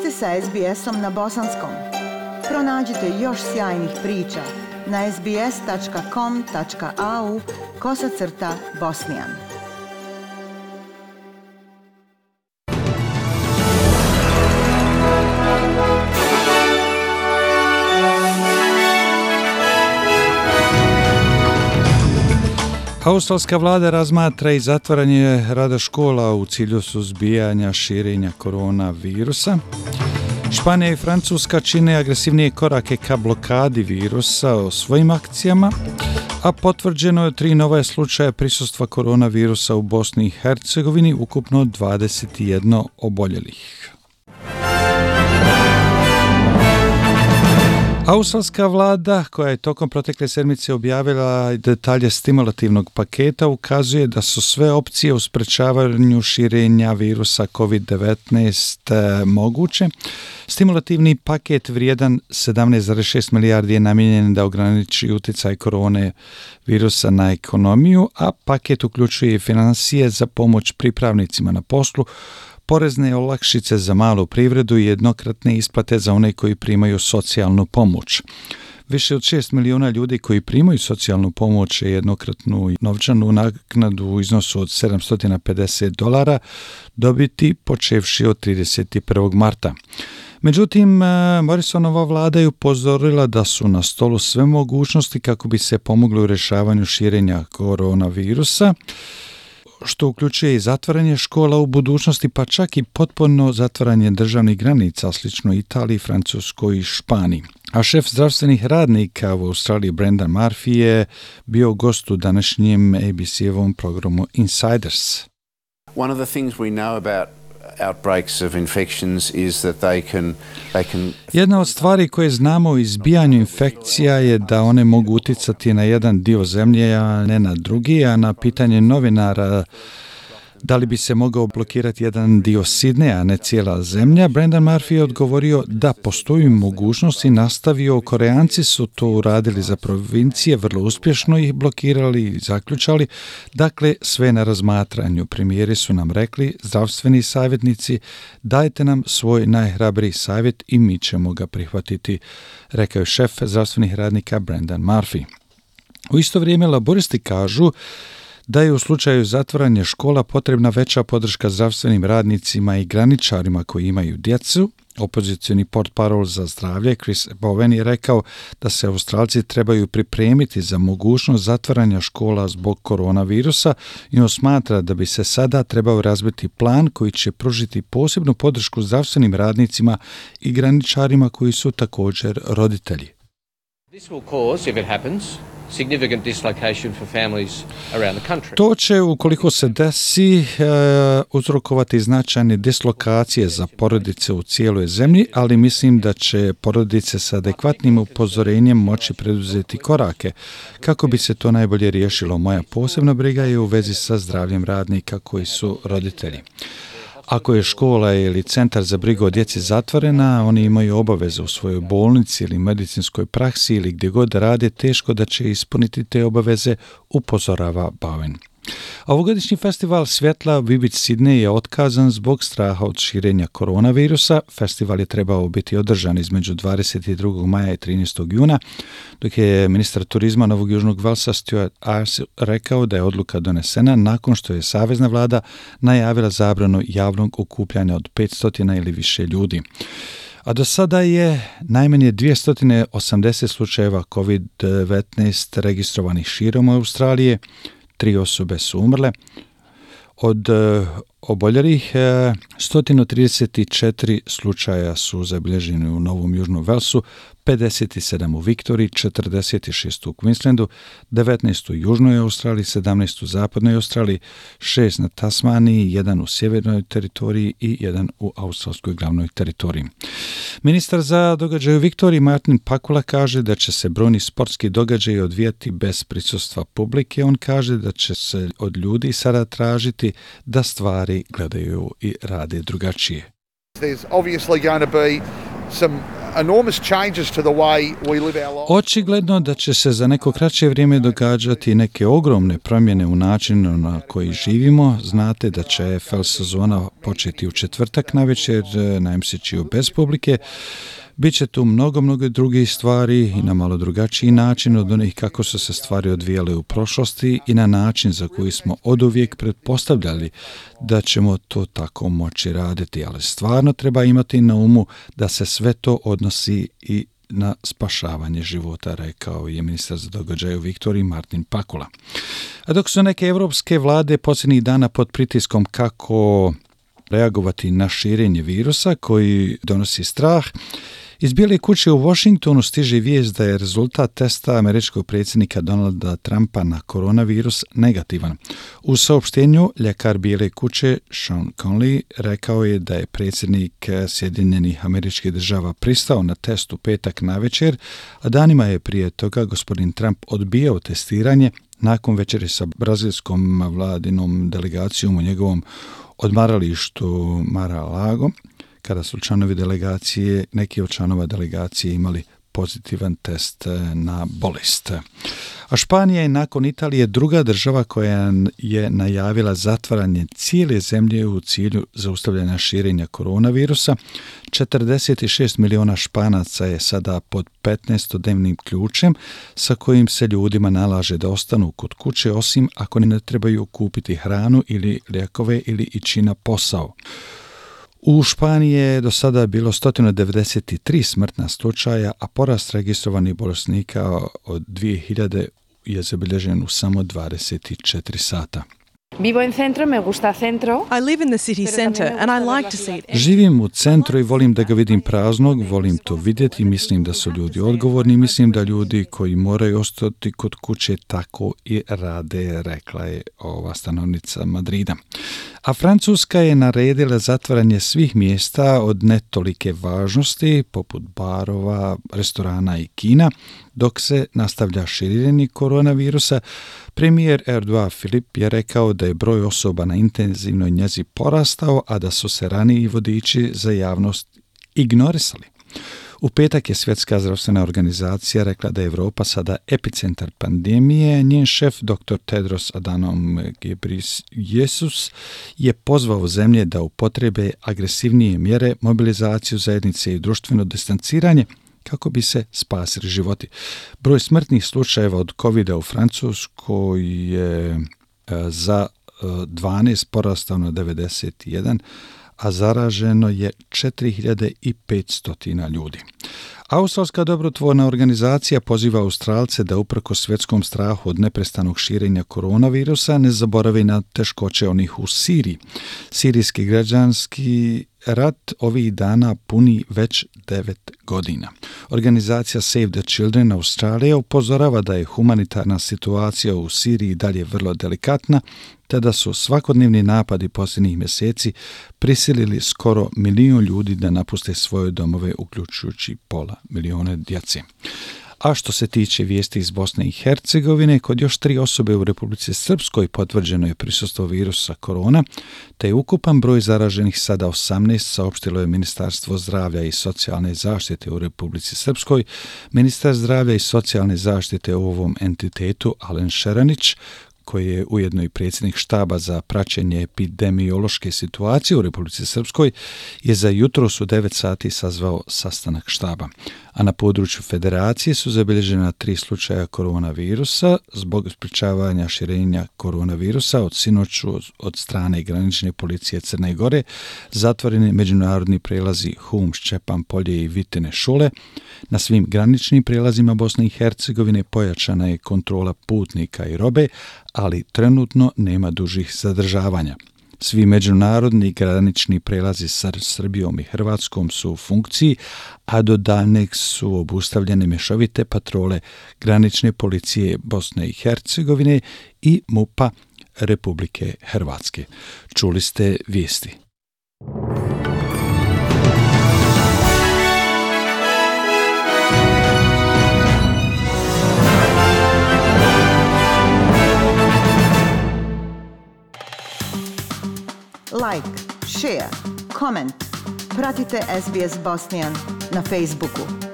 Vi ste sa SBS-om na bosanskom. Pronađite još sjajnih priča na sbs.com.au/bosnian. Australska vlada razmatra i zatvaranje rada škola u cilju suzbijanja širenja koronavirusa. Španija i Francuska čine agresivnije korake ka blokadi virusa o svojim akcijama, a potvrđeno je 3 nova slučaja prisustva koronavirusa u Bosni i Hercegovini, ukupno 21 oboljelih. Australska vlada, koja je tokom protekle sedmice objavila detalje stimulativnog paketa, ukazuje da su sve opcije u sprečavanju širenja virusa COVID-19 moguće. Stimulativni paket vrijedan 17,6 milijardi je namijenjen da ograniči utjecaj korone virusa na ekonomiju, a paket uključuje i financije za pomoć pripravnicima na poslu, porezne olakšice za malu privredu i jednokratne isplate za one koji primaju socijalnu pomoć. Više od 6 milijuna ljudi koji primaju socijalnu pomoć i jednokratnu novčanu naknadu u iznosu od $750 dobiti počevši od 31. marta. Međutim, Morrisonova vlada je upozorila da su na stolu sve mogućnosti kako bi se pomoglo u rješavanju širenja koronavirusa, što uključuje i zatvaranje škola u budućnosti, pa čak i potpuno zatvaranje državnih granica, slično Italiji, Francuskoj i Španiji. A šef zdravstvenih radnika u Australiji Brendan Murphy je bio gost u današnjem ABC-ovom programu Insiders. One of the things we know about outbreaks of infections is that they can Jedna od stvari koje znamo o izbijanju infekcija je da one mogu utjecati na jedan dio zemlje, a ne na drugi, a na pitanje novinara da li bi se mogao blokirati jedan dio Sidneja, a ne cijela zemlja, Brendan Murphy je odgovorio da postoji mogućnost i nastavio. Koreanci su to uradili za provincije, vrlo uspješno ih blokirali i zaključali. Dakle, sve na razmatranju. Premijeri su nam rekli, zdravstveni savjetnici, dajte nam svoj najhrabriji savjet i mi ćemo ga prihvatiti, rekao je šef zdravstvenih radnika Brendan Murphy. U isto vrijeme laboristi kažu da je u slučaju zatvaranja škola potrebna veća podrška zdravstvenim radnicima i graničarima koji imaju djecu. Opozicioni portparol za zdravlje Chris Bowen je rekao da se Australci trebaju pripremiti za mogućnost zatvaranja škola zbog koronavirusa i on smatra da bi se sada trebao razbiti plan koji će pružiti posebnu podršku zdravstvenim radnicima i graničarima koji su također roditelji. This will cause, if it happens, significant dislocation for families around the country. To će, ukoliko se desi, uzrokovati značajne dislokacije za porodice u cijeloj zemlji, ali mislim da će porodice sa adekvatnim upozorenjem moći preduzeti korake kako bi se to najbolje riješilo. Moja posebna briga je u vezi sa zdravljem radnika koji su roditelji. Ako je škola ili centar za brigu o djeci zatvorena, oni imaju obaveze u svojoj bolnici ili medicinskoj praksi ili gdje god rade, teško da će ispuniti te obaveze, upozorava Bowen. Ovogodišnji festival svjetla Vivid Sydney je otkazan zbog straha od širenja koronavirusa. Festival je trebao biti održan između 22. maja i 13. juna, dok je ministar turizma Novog Južnog Velsa Stuart Ayres rekao da je odluka donesena nakon što je savezna vlada najavila zabranu javnog okupljanja od 500 ili više ljudi. A do sada je najmanje 280 slučajeva COVID-19 registrovanih širom Australije. 3 osobe su umrle. Od oboljelih 134 slučaja su zabilježeni u Novom Južnom Velsu, 57 u Viktoriji, 46 u Queenslandu, 19 u Južnoj Australiji, 17 u Zapadnoj Australiji, 6 na Tasmaniji, 1 u Sjevernoj teritoriji i 1 u Australskoj glavnoj teritoriji. Ministar za događaje u Viktoriji Martin Pakula kaže da će se brojni sportski događaji odvijati bez prisustva publike. On kaže da će se od ljudi sada tražiti da stvari gledaju i rade drugačije. There's obviously going to be some enormous changes to the way we live our lives. Očigledno da će se za neko kraće vrijeme događati neke ogromne promjene u načinu na koji živimo. Znate da će AFL sezona početi u četvrtak navečer na MCG-u bez publike. Biće tu mnogo drugih stvari i na malo drugačiji način od onih kako su se stvari odvijale u prošlosti i na način za koji smo oduvijek pretpostavljali da ćemo to tako moći raditi. Ali stvarno treba imati na umu da se sve to odnosi i na spašavanje života, rekao je ministar za događaje u Viktoriji Martin Pakula. A dok su neke evropske vlade posljednjih dana pod pritiskom kako reagovati na širenje virusa koji donosi strah, iz Bijele kuće u Washingtonu stiže vijest da je rezultat testa američkog predsjednika Donalda Trumpa na koronavirus negativan. U saopštenju ljekar Bijele kuće Sean Conley rekao je da je predsjednik Sjedinjenih Američkih Država pristao na test u petak navečer, a danima je prije toga gospodin Trump odbijao testiranje nakon večeri sa brazilskom vladinom delegacijom u njegovom odmaralištu Mar-a-Lago, kada su članovi delegacije, neki od članova delegacije imali pozitivan test na bolest. A Španija je nakon Italije druga država koja je najavila zatvaranje cijele zemlje u cilju zaustavljanja širenja koronavirusa. 46 miliona Španaca je sada pod 15-dnevnim ključem sa kojim se ljudima nalaže da ostanu kod kuće, osim ako ne trebaju kupiti hranu ili lijekove ili ići na posao. U Španiji je do sada bilo 193 smrtna slučaja, a porast registrovanih bolesnika od 2000 je zabilježen u samo 24 sata. Vivo en centro, me gusta centro. I live in the city center and I like to see it. Živim u centru i volim da ga vidim praznog, volim to vidjeti, mislim da su ljudi odgovorni, mislim da ljudi koji moraju ostati kod kuće tako i rade, rekla je ova stanovnica Madrida. A Francuska je naredila zatvaranje svih mjesta od netolike važnosti, poput barova, restorana i kina, dok se nastavlja širenje koronavirusa. Premijer Edouard Philippe je rekao da je broj osoba na intenzivnoj njezi porastao, a da su se raniji vodiči za javnost ignorisali. U petak je Svjetska zdravstvena organizacija rekla da je Europa sada epicentar pandemije. Njen šef, dr. Tedros Adhanom Ghebreyesus, je pozvao zemlje da upotrebe agresivnije mjere, mobilizaciju zajednice i društveno distanciranje kako bi se spasili životi. Broj smrtnih slučajeva od COVID-a u Francuskoj je za 12 porastao na 91, a zaraženo je 4500 ljudi. Australska dobrotvorna organizacija poziva Australce da uprkos svjetskom strahu od neprestanog širenja koronavirusa ne zaborave na teškoće onih u Siriji. Sirijski građanski rat ovih dana puni već 9 godina. Organizacija Save the Children Australije upozorava da je humanitarna situacija u Siriji dalje vrlo delikatna, te da su svakodnevni napadi posljednjih mjeseci prisilili skoro 1 milijun ljudi da napuste svoje domove, uključujući pola milijuna djece. A što se tiče vijesti iz Bosne i Hercegovine, kod još 3 osobe u Republici Srpskoj potvrđeno je prisustvo virusa korona, te je ukupan broj zaraženih sada 18, saopštilo je Ministarstvo zdravlja i socijalne zaštite u Republici Srpskoj. Ministar zdravlja i socijalne zaštite u ovom entitetu, Alen Šeranić, koji je ujedno i predsjednik štaba za praćenje epidemiološke situacije u Republici Srpskoj, je za jutros u 9 sati sazvao sastanak štaba. A na području federacije su zabilježena 3 slučaja koronavirusa zbog sprječavanja širenja koronavirusa od sinoću od strane granične policije Crne Gore, zatvoreni međunarodni prelazi Hum, Šćepan polje i Vitine Šule. Na svim graničnim prelazima Bosne i Hercegovine pojačana je kontrola putnika i robe, ali trenutno nema dužih zadržavanja. Svi međunarodni granični prelazi sa Srbijom i Hrvatskom su u funkciji, a do daljnjeg su obustavljene mješovite patrole granične policije Bosne i Hercegovine i MUP-a Republike Hrvatske. Čuli ste vijesti. Like, share, comment. Pratite SBS Bosnian na Facebooku.